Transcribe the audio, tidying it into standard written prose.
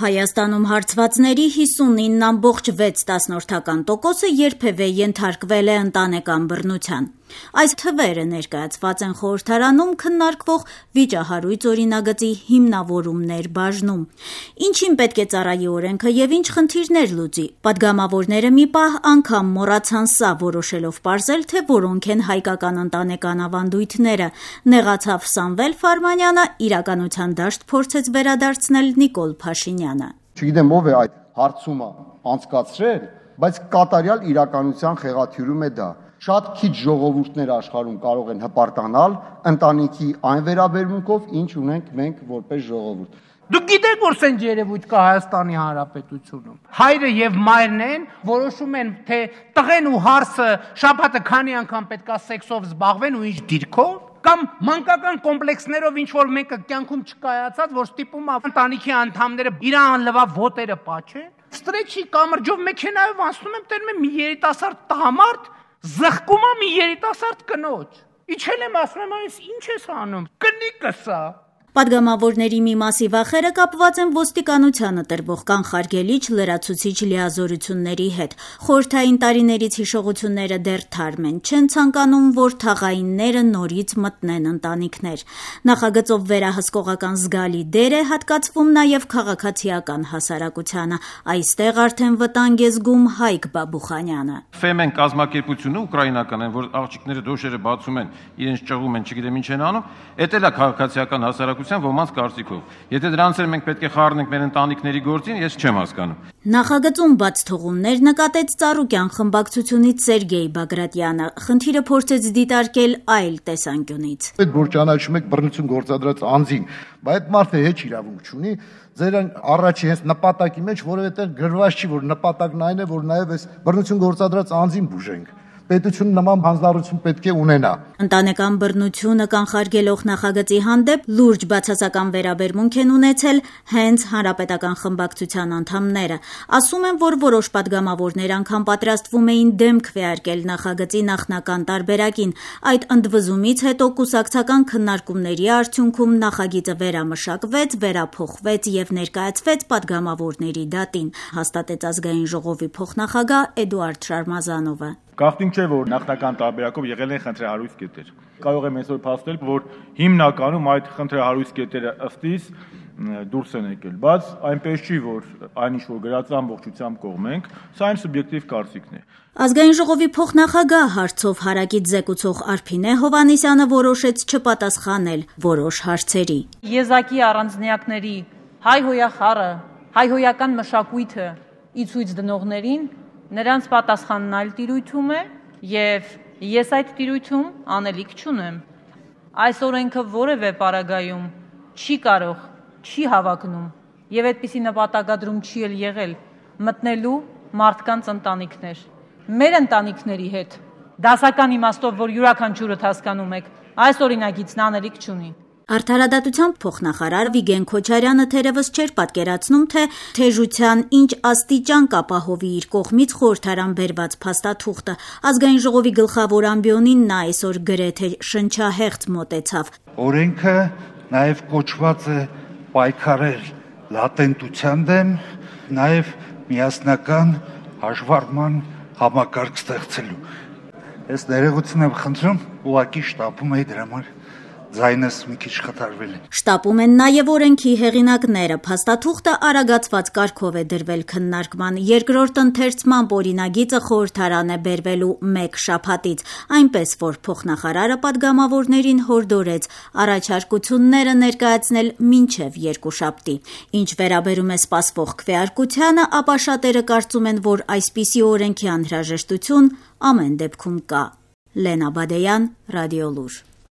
Հայաստանում հարցվածների 59.6% երբևէ ենթարկվել է ընտանեկան բռնության։ Այս թվերը ներկայացված են խորհրդարանում քննարկվող վիճահարույց օրինագծի հիմնավորումներ բաժնում։ Ինչին պետք է ծառայի օրենքը եւ ինչ խնդիրներ լուծի։ Պատգամավորները մի պահ անգամ մոռացան սա որոշելով պարզել, թե որոնք են հայկական ընտանեկան ավանդույթները։ Նեղացավ Սամվել Ֆարմանյանը, իրականության դաշտ փորձեց վերադարձնել Նիկոլ Փաշինյանը։ Չգիտեմ ով է այդ հարցումը անցկացրել, բայց կատարյալ իրականության խեղաթյուրում է դա։ Շատ քիչ ժողովուրդներ աշխարհում կարող են հպարտանալ ընտանիքի այն վերաբերմունքով, ինչ ունենք մենք որպես ժողովուրդ։ Դուք գիտեք, որ սենց երևույթ կա Հայաստանի Հանրապետությունում։ Հայրը եւ մայրն են որոշում են, թե տղեն ու հարսը շաբաթը քանի անգամ պետքա սեքսով զբաղվեն ու ինչ դիրքով, կամ մանկական կոմպլեքսներով ինչ որ մեկը կյանքում չկայացած, որ ստիպում է ընտանիքի անդամները իր անլվա ոտերը պաչեն։ Ստրեչի կամրջով մեքենայով անցնում եմ, տերում եմ մի երիտասարդ տղամարդ, զղկում է մի երիտասարդ կնոջ։ Իջել եմ ասում եմ, այս ինչ ես անում։ Կնիկս է։ Պատգամավորների մի մասի վախերը կապված են ոստիկանությանը տրվող կանխարգելիչ լրացուցիչ լիազորությունների հետ։ Խորհրդային տարիներից հիշողությունները դեռ թարմ են, չեն ցանկանում, որ թաղայինները նորից մտնեն ընտանիքներ։ Նախագծով վերահսկողական զգալի դեր է հատկացվում նաև քաղաքացիական հասարակությանը։ Այստեղ արդեն վտանգ է զգում Հայկ Բաբուխանյանը։ Ֆեմեն կազմակերպությունը ուկրաինական են, որ աղջիկները դոշերը բացում են, իրենց ճղում են, չգիտեմ ինչ են անում, էդ էլ է քաղաքացիական հասարակության ոմանց կարծիքով։ Եթե դրանց էլ մենք պետք է խառնենք մեր ընտանիքների գործին, ես չեմ հասկանում։ Նախագծում բաց թողումներ նկատեց Ծառուկյան խմբակցությունից Սերգեյ Բագրատյանը։ Խնդիրը փորձեց դիտարկել այլ տեսանկյունից։ Այդ որ ճանաչում եք բռնություն գործադրած անձին, բայց այդ մարդը հեչ իրավունք չունի, ձեր առաջի հենց նպատակի մեջ որևէ տեղ գրված չի, որ նպատակն այն է, որ նաև այս բռնություն գործադրած անձին բուժենք։ Պետությունը նման հանձնառություն պետք է ունենա։ Ընտանեկան բռնությունը կանխարգելող նախագծի հանդեպ լուրջ բացասական վերաբերմունք են ունեցել հենց Հանրապետական խմբակցության անդամները։ Ասում են, որ որոշ պատգամավորներ անգամ պատրաստվում էին դեմք քվեարկել նախագծի նախնական տարբերակին։ Այդ ընդվզումից հետո կուսակցական քննարկումների արդյունքում նախագիծը վերամշակվեց, վերափոխվեց եւ ներկայացվեց պատգամավորների դատին, հաստատեց Ազգային ժողովի փոխնախագահ Էդուարդ Շարմազանովը։ Գաղտնիք չէ, որ նախնական տարբերակով եղել են խնդրահարույց կետեր։ Կարող եմ այսօր փաստել, որ հիմնականում այդ խնդրահարույց կետերը ըստիս դուրս են եկել, բայց այնպես չի, որ այնինչ որ գրած ամբողջությամբ կողմենք, սա իմ սուբյեկտիվ կարծիքն է։ Ազգային ժողովի փոխնախագահ հարցով հարակից զեկուցող Արփինե Հովհաննիսյանը որոշեց չպատասխանել որոշ հարցերի։ Եզակի առանձնյակների հայհոյախառը, հայհոյական մշակույթը ի ցույց դնողներին նրանց պատասխանն այլ տիրույթում է եւ ես այդ տիրույթում անելիք չունեմ։ Այս օրենքը որևէ պարագայում չի կարող, չի հավակնում եւ այդպիսի նպատակադրում չի էլ եղել մտնելու մարդկանց ընտանիքներ։ Մեր ընտանիքների հետ դասական իմաստով, որ յուրաքանչյուրդ հասկանում եք, այս օրինագիծն անելիք չունի։ Արդարադատության փոխնախարար Վիգեն Քոչարյանը թերևս չէր պատկերացնում, թե թեժության ինչ աստիճան կապահովի իր կողմից խորհրդարան բերված փաստաթուղթը։ Ազգային ժողովի գլխավոր ամբիոնին նա այսօր գրեթե շնչահեղձ մոտեցավ։ Օրենքը նաև կոչված է պայքարել լատենտության դեմ, նաև միասնական հաշվառման համակարգ ստեղծելու։ Ես ներողություն եմ խնդրում, ուղղակի շտապում էի դրա համար ձայնս մի քիչ խթարվել է։ Շտապում են նաև օրենքի հեղինակները։ Փաստաթուղթը արագացված կարգով է դրվել քննարկման։ Երկրորդ ընթերցման օրինագիծը խորհրդարան է բերվելու 1 շաբաթից, այնպես որ փոխնախարարը պատգամավորներին հորդորեց առաջարկությունները ներկայացնել մինչև 2 շաբթի։ Ինչ վերաբերում է սպասվող քվեարկությանը, ապա շատերը կարծում են, որ այսպիսի օրենքի անհրաժեշտություն ամեն դեպքում կա։ Լենա Բադեյան, Ռադիոլուր։